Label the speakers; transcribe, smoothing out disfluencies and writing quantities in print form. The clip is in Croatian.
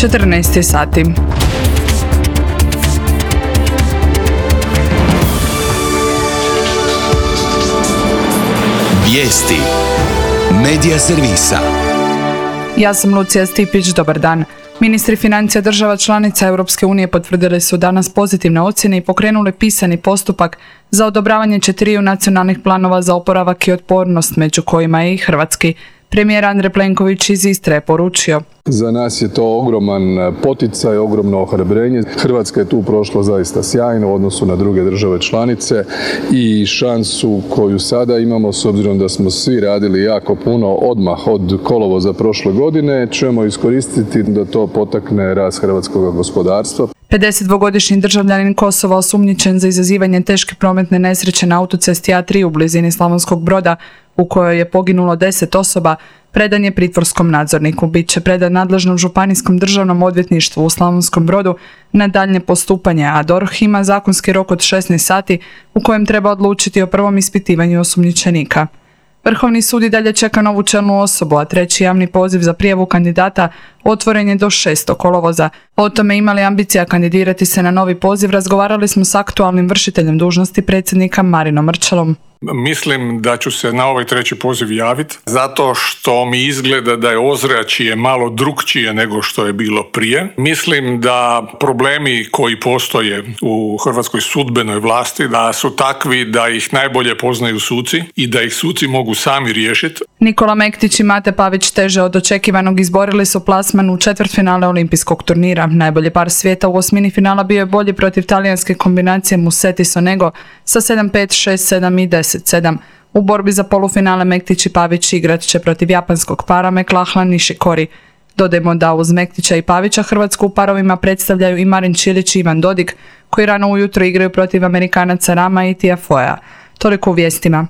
Speaker 1: 14 sati.
Speaker 2: Vijesti Medija servisa.
Speaker 1: Ja sam Lucija Stipić, dobar dan. Ministri financija država članica Europske unije potvrdili su danas pozitivne ocjene i pokrenuli pisani postupak za odobravanje 4 nacionalnih planova za oporavak i otpornost, među kojima je i hrvatski. Premijer Andrej Plenković iz Istre je poručio:
Speaker 3: za nas je to ogroman poticaj, ogromno ohrabrenje. Hrvatska je tu prošla zaista sjajno u odnosu na druge države članice i šansu koju sada imamo, s obzirom da smo svi radili jako puno odmah od kolovoza prošle godine, ćemo iskoristiti da to potakne rast hrvatskog gospodarstva.
Speaker 1: 52-godišnji državljanin Kosova osumnjičen za izazivanje teške prometne nesreće na autocesti A3 u blizini Slavonskog Broda, u kojoj je poginulo 10 osoba, predan je pritvorskom nadzorniku. Biće predan nadležnom županijskom državnom odvjetništvu u Slavonskom Brodu na daljnje postupanje, a DORH ima zakonski rok od 16 sati u kojem treba odlučiti o prvom ispitivanju osumnjičenika. Vrhovni sud i dalje čeka novu čelnu osobu, a treći javni poziv za prijavu kandidata otvoren je do 6. kolovoza. O tome ima li ambicija kandidirati se na novi poziv razgovarali smo s aktualnim vršiteljem dužnosti predsjednika Marinom Mrčelom.
Speaker 4: Mislim da ću se na ovaj treći poziv javiti, zato što mi izgleda da je ozračje malo drukčije nego što je bilo prije. Mislim da problemi koji postoje u hrvatskoj sudbenoj vlasti, da su takvi da ih najbolje poznaju suci i da ih suci mogu sami riješiti.
Speaker 1: Nikola Mektić i Mate Pavić teže od očekivanog izborili su plasman u četvrtfinale olimpijskog turnira. Najbolji par svijeta u osmini finala bio je bolji protiv talijanske kombinacije Musetti Sonego sa 7-5, 6-7 i 10-7. U borbi za polufinale Mektić i Pavić igrat će protiv japanskog para McLachlan Nishikori. Dodajmo da uz Mektića i Pavića Hrvatsku u parovima predstavljaju i Marin Čilić i Ivan Dodig, koji rano ujutro igraju protiv Amerikanaca Rama i Tiafoea. Toliko u vijestima.